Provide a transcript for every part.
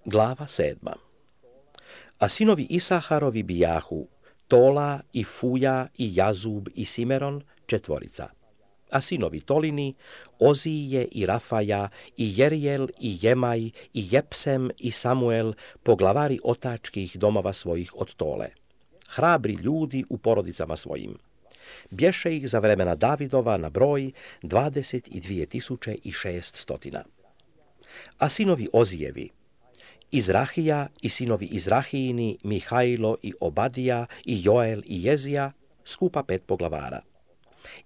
Glava 7. A sinovi Isaharovi bijahu Tola i Fuja i Jazub i Simeron, 4. A sinovi Tolini, Ozije i Rafaja i Jerijel i Jemaj i Jepsem i Samuel, poglavari otačkih domova svojih od Tole. Hrabri ljudi u porodicama svojim. Bješe ih za vremena Davidova na broj 22.600. A sinovi Ozijevi, Izrahija i sinovi Izrahijini, Mihajlo i Obadija i Joel i Jezija, skupa 5 poglavara.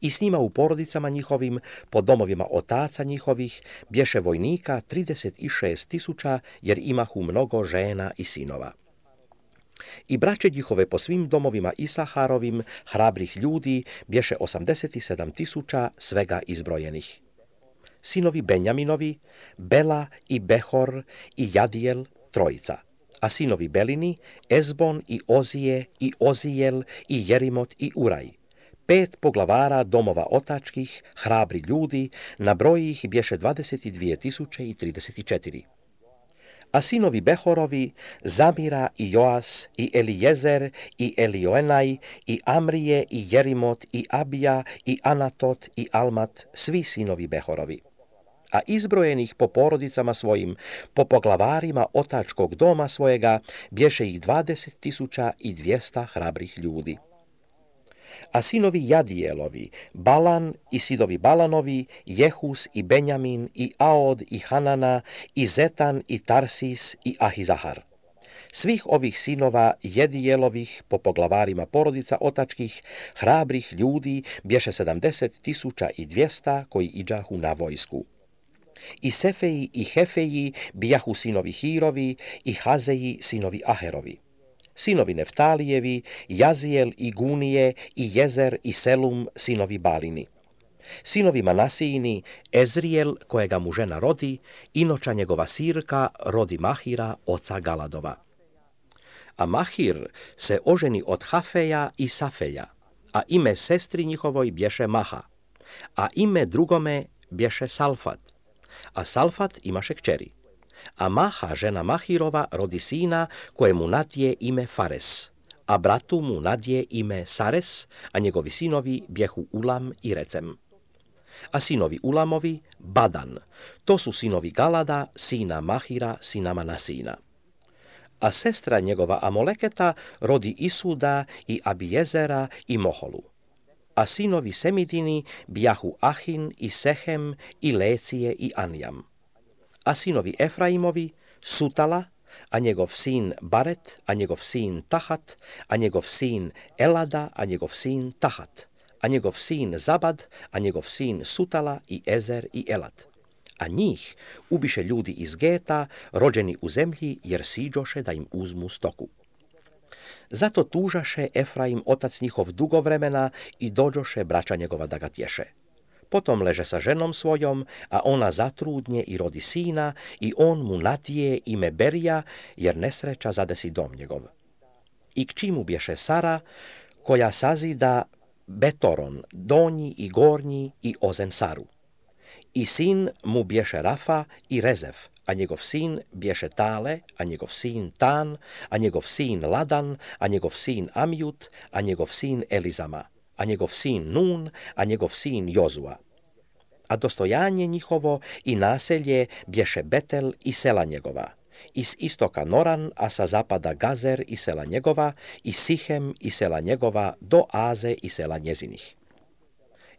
I s njima u porodicama njihovim, po domovima otaca njihovih, bješe vojnika 36.000, jer imahu mnogo žena i sinova. I braće njihove po svim domovima Isaharovim, hrabrih ljudi, bješe 87.000 svega izbrojenih. Sinovi Benjaminovi, Bela i Behor i Jadijel, 3. A sinovi Belini, Ezbon i Ozije i Ozijel i Jerimot i Uraj. 5 poglavara domova otačkih, hrabri ljudi, na broji ih bješe 22.034. A sinovi Behorovi, Zamira i Joas i Elijezer i Elioenaj i Amrije i Jerimot i Abija i Anatot i Almat, svi sinovi Behorovi. A izbrojenih po porodicama svojim, po poglavarima otačkog doma svojega, bješe ih 20.200 hrabrih ljudi. A sinovi Jadijelovi, Balan i sidovi Balanovi, Jehus i Benjamin i Aod i Hanana i Zetan i Tarsis i Ahizahar. Svih ovih sinova Jedijelovih po poglavarima porodica otačkih, hrabrih ljudi, bješe 70.200 koji iđahu na vojsku. I Sefeji i Hefeji bijahu sinovi Hirovi i Hazeji sinovi Aherovi. Sinovi Neftalijevi, Jazijel i Gunije i Jezer i Selum, sinovi Balini. Sinovi Manasijini, Ezrijel, kojega mu žena rodi, inoča njegova sirka rodi Mahira, oca Galadova. A Mahir se oženi od Hafeja i Safeja, a ime sestri njihovoj bješe Maha, a ime drugome bješe Salfat, a Salfat imaše kćeri. A Maha, žena Mahirova, rodi sina kojemu nadje ime Fares, a bratu mu nadje ime Sares, a njegovi sinovi bjehu Ulam i Recem. A sinovi Ulamovi, Badan, to su sinovi Galada, sina Mahira, sina Manasina. A sestra njegova Amoleketa rodi Isuda i Abijezera i Moholu. A sinovi Semidini bijahu Ahin i Sehem i Lecije i Anjam. A sinovi Efraimovi, Sutala, a njegov sin Baret, a njegov sin Tahat, a njegov sin Elada, a njegov sin Tahat, a njegov sin Zabad, a njegov sin Sutala i Ezer i Elad. A njih ubiše ljudi iz Geta, rođeni u zemlji, jer siđoše da im uzmu stoku. Zato tužaše Efraim otac njihov dugo vremena i dođoše braća njegova da ga tješe. Potom leže sa ženom svojom, a ona zatrudnje i rodi sina, i on mu nadje ime Berija, jer nesreća zadesi dom njegov. I kći mu bješe Sara, koja sazida Betoron, donji i gornji i Ozen Saru. I sin mu bješe Rafa i Rezef, a njegov sin bješe Tale, a njegov sin Tan, a njegov sin Ladan, a njegov sin Amjut, a njegov sin Elizama, a njegov sin Nun, a njegov sin Jozua. A dostojanje njihovo i naselje bješe Betel i sela njegova, iz istoka Noran, a sa zapada Gazer i sela njegova, i Sihem i sela njegova, do Aze i sela njezinih.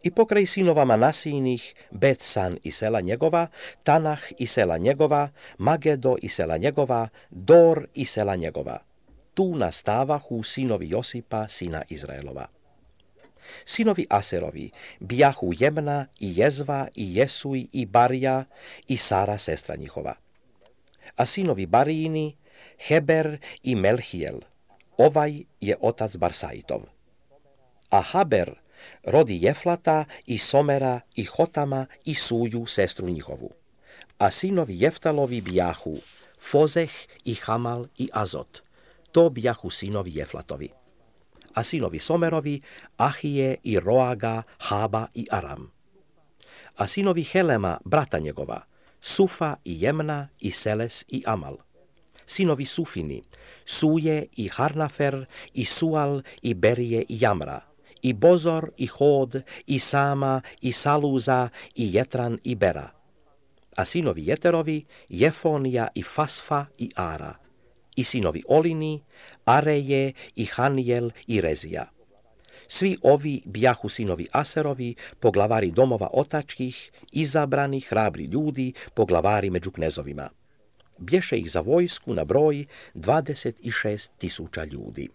I pokraj sinova Manasijinih, Bet-San i sela njegova, Tanah i sela njegova, Magedo i sela njegova, Dor i sela njegova. Tu nastavahu sinovi Josipa, sina Izraelova. Sinovi Aserovi bijahu Jemna i Jezva i Jesuj i Barija i Sara, sestra njihova. A sinovi Barijini, Heber i Melhijel, ovaj je otac Barsaitov. A Haber rodi Jeflata i Somera i Hotama i Suju, sestru njihovu. A sinovi Jeftalovi bijahu Fozeh i Hamal i Azot, to bijahu sinovi Jeflatovi. A sinovi Somerovi, Ahije i Roaga, Haba i Aram. A sinovi Helema, brata njegova, Sufa i Jemna i Seles i Amal. sinovi Sufini, Suje i Harnafer, i Sual, i Berije, i Jamra, i Bozor, i Hod, i Sama, i Saluza, i Jetran, i Bera. A sinovi Jeterovi, Jefonija, i Fasfa, i Ara. I sinovi Olini, Areje, i Hanijel, i Rezija. Svi ovi bijahu sinovi Aserovi, poglavari domova otačkih, izabrani hrabri ljudi, poglavari među knezovima. Bješe ih za vojsku na broj 26.000 ljudi.